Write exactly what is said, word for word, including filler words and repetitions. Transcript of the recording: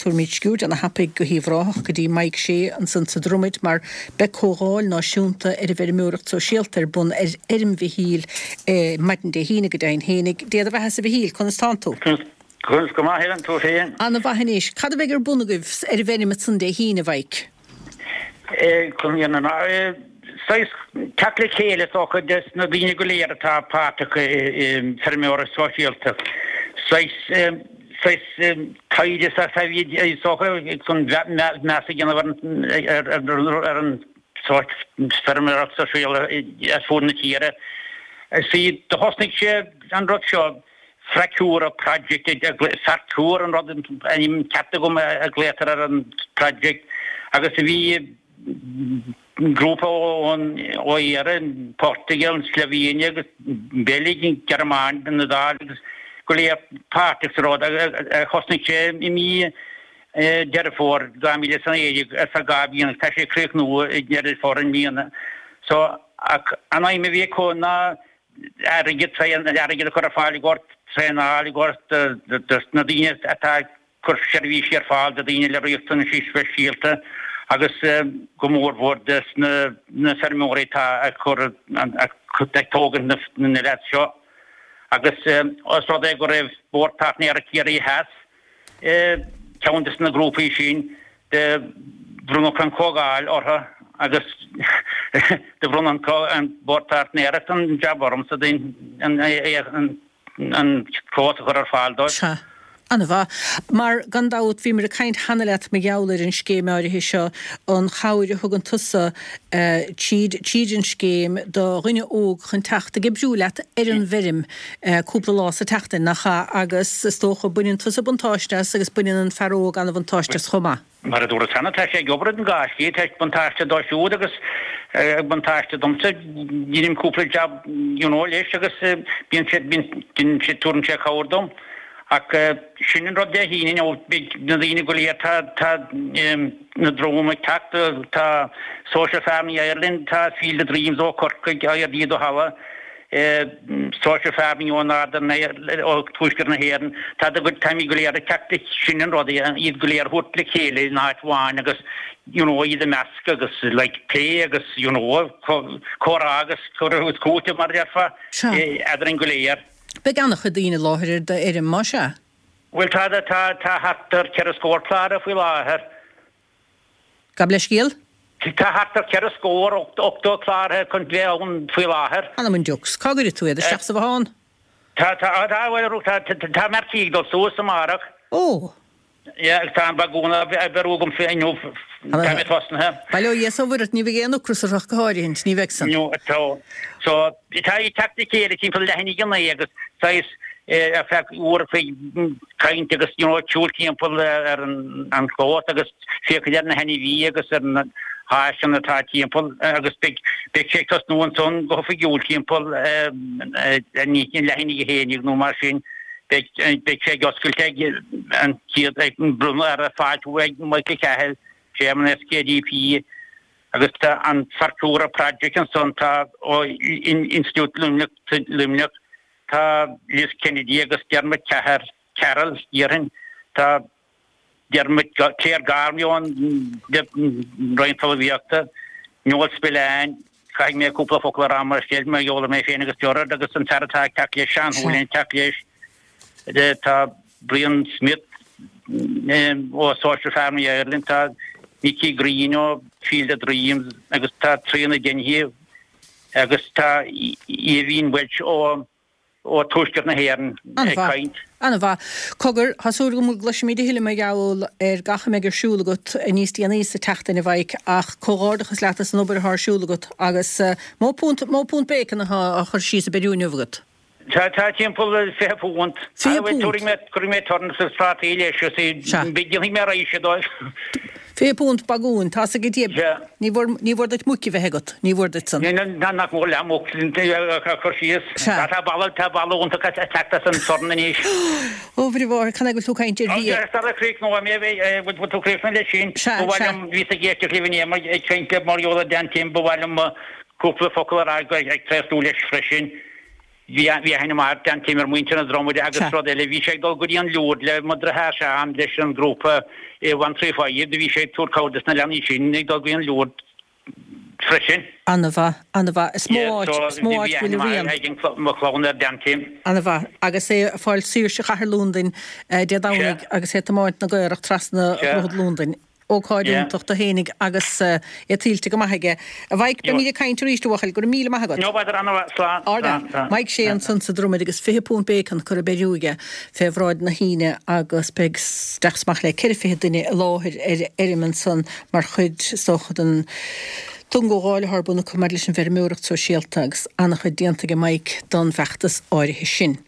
tabharfaimid sciuird ana-thapaidh go hUíbh Ráthach go dtí Mike Shea ansan sa Dromaid mar beidh comhdháil náisiúnta ar an bhfeirmeoireacht sóisialta ar bun ar fheirm Mhichíl maidin Dé hAoine go deimhin fhéinig. Dé do bheatha-sa a Mhichíl, conas tánn tú? Conas go maith Helen, tú féin? Ana-mhaith anois. Cad a bheidh ar bun agaibh ar an bhfeirm ansan Dé hAoine, a Mhike? Saghas teacht le chéile is dócha des na daoine go léir atá páirteach i bhfeirmeoireacht sóisialta. Saghas saghas taighde is dócha chun meas a dhéanamh ar an feirmeoireacht sóisialta ar fud na tíre. See, do thosnaigh sé an rud seo Forcura Project, Forcura an rud ainm ceart agam a ghlaotar ar an project agus a bhí grúpa ón ó Éirinn, Portugal, an Slovenia agus Beilg, an Ghearmáin, an Iodáil agus go léir páirteach sa rud. Thosnaigh sé i mí Deireadh Fómhair dhá mhíle is a naoi déag ar feadh dhá bhliain agus tá sé ag críochnú i nDeireadh Fómhair i mbliana. So ach an aidhm a bhí acu ná airgead, airgead a chur ar fáil i gcomhair traenáil, i gcomhair dos na daoine atá ag cur seirbhísí ar fáil do dhaoine le riachtanaisí speisialta agus go mór mhór dos na feirmeoirí atá ag cur, ag tógaint na leaids seo. Agus os rud é go raibh Bord Páirtnéireachta Chiarraí Theas, ceann de na grúpaí sin, do bronnadh an Chomhdháil orthu agus do bhronn an Bord Páirtnéireachta an jab ormsa an an clós a chur ar fáil dóibh. Sea. Ana-mhaith. Mar, gan dabht, bhíomar ag caint cheana leat mar gheall ar an scéim áirithe seo, an chabhair a thugann tusa tríd tríd an scéim do dhuine óg chun teacht ag oibriú leat ar an bhfeirm cúpla lá sa tseachtain, nach ea? Agus is dócha, baineann tusa buntáiste as agus baineann an fear óg an-bhuntáiste as chomh maith. Mar a dúras cheana, tá sé ag obair an dhá shlí, tá buntáiste dó siúd agus buntáiste domsa, deinim cúpla jab you know leis agus bíonn sé, bíonn sé, tabharann sé cabhair dom. Ach sin an rud Dé hAoine nó beidh na daoine go léir, tá, tá na Droma ag teacht, tá Social Farming Ireland, tá Field of Dreams ó Chorcaigh, IRD Duhallow, Social Farming ó Northern, ó Tuaisceart na hÉireann, tá do, táimid go léir ag teacht, sin an rud, iad go léir a thabhairt le chéile in áit amháin agus you know iad a mheascadh agus like plé agus you know comhrá agus cur agus cúiteamh mar a déarfá eadrainn go léir. Beidh an-chuid daoine i láthair ar d'fheirm, más ea? Bhuel, tá, tá, tá thart ar ceithre scór cláraithe faoi láthair. Gabh leithscéal? Tá thart ar ceithre scór, ochtó cláraithe chun bheith ann faoi láthair. Anam an diucs. Cá gcuirfidh tú iad? Isteach sa bhothán? Tá, tá, tá, bhuel, tá, tá mé ar tí ag dul suas amárach. Ó! Yeah, agus tá an bagún á bheiriú agam fé inniu, tá mé tosnaithe. Bail ó Dhia is ó Mhuire ort, ní bheidh aon ocras ort ach go háirithint, ní bheidh san. No, tá. So, tá ag teacht le chéile timpeall leath i ndiaidh a naoi agus saghas ar feadh uair a chloig caint agus you know siúl timpeall ar an chlós agus féachaint ar na hainmhithe agus ar na háiseanna atá timpeall agus beidh beidh sé ag tosnú ansan go hoifigiúil timpeall leath i ndiaidh a haon déag nó mar sin. Beidh sé ag oscailt ag an chéad ag bronnadh ar fáiltiú ag Michael Cahill, Chairman SKDP, agus tá an Forcura Project ansan, tá ó Institiúid Luimneach, Luimneach, tá Liz Kennedy agus Dermot Cathair, Carroll, déarfainn, tá Dermot, Claire Gormley ón Roinn Talmhaíochta, Noel Spillane, caithfidh mé cúpla focal a rá mar scéal mar gheall ar mé féin agus Gerard agus an fear atá ag teacht leis, Seán Houlihan ag teacht leis, tá Brian Smith ó Social Farming Ireland, tá Nicky Greene ó Field of Dreams agus tá Tríona Dennehy agus tá Aoibhín Walsh ó ó Tuaisceart na hÉireann ag caint. An-mhaith. Cogar, tá súil agam go gcloisfimid a thuilleadh mar gheall ar gach a mbeidh ar siúl agat níos déanaí sa tseachtain, a Mhaidhc, ach comhghairdeachas leat as an obair atá ar siúl agat agus mó punt, mó punt bacon atá á chur síos ag beiriú inniu agat? Tá, tá timpeall fiche punt. Fiche punt? Tabharfaidh mé, cuirfidh mé turnips agus prátaí leis agus déanfaidh mé raidhse dóibh. Fiche punt bagúin, tá's agat Sea. Ní mhór, ní mhór duit muic a bheith agat, ní mhór duit san. Ná nach mór leath muc a chur síos. Sea. Tá boladh, tá boladh iontach ag teacht as an sorn anois. Ó, Mhuire Mháthair, can é go bhfuil tú ag caint ar bhia? Agus sara críochnóidh mé, bhfuil tú críochnaithe leis sin? Sea, Ba mhaith sea. liom, bhíos ag éisteacht libh inné mar ag caint le mar gheall ar Dan Tim, ba mhaith liom cúpla focal a rá ag tréaslú leis freisin. Bhí bhí aithne maith ag Dan Tim ar mhuintir na Dromaide agus Sea. rud eile bhí sé ag dul go dtí an Lourdes le mo dheartháir Seán leis an grúpa i One Three Five do bhí sé ag tabhairt cabhair dos na leanaí sin ag dul go dtí an Lourdes freisin. An-mhaith, an-mhaith. Is mó Yeah, áit, so is mó bhí áit aithne bhfuil a maith rian. ag an cl- mo chlann ar Dan Tim. An-mhaith. Agus é ag fáil saoirse chathair Londain eh, Dé Domhnaigh Sea. agus é ag tiomáint na gcaorach trasna Sea. Dhroichead Londain. Ócáid Yeah. iontach do fhéinig agus eh, é tuillte go maith aige. A Mhaidhc beimid ag caint arís a bhuachaill, go raibh míle maith agat. No bother an-mhaith, slán. Arda, slán, slán. Mike Shea ansan sa Dromaid agus fiche punt bacon curtha beiriú aige fé bhráid na hAoine agus beidh isteach is amach le ceithre fiche duine i láthair ar fheirm ansan mar chuid is dócha den gcomhdháil atá ar bun acu maidir leis an bhfeirmeoireacht sóisialta agus an-chuid déanta ag Mike don bhfeachtas áirithe sin.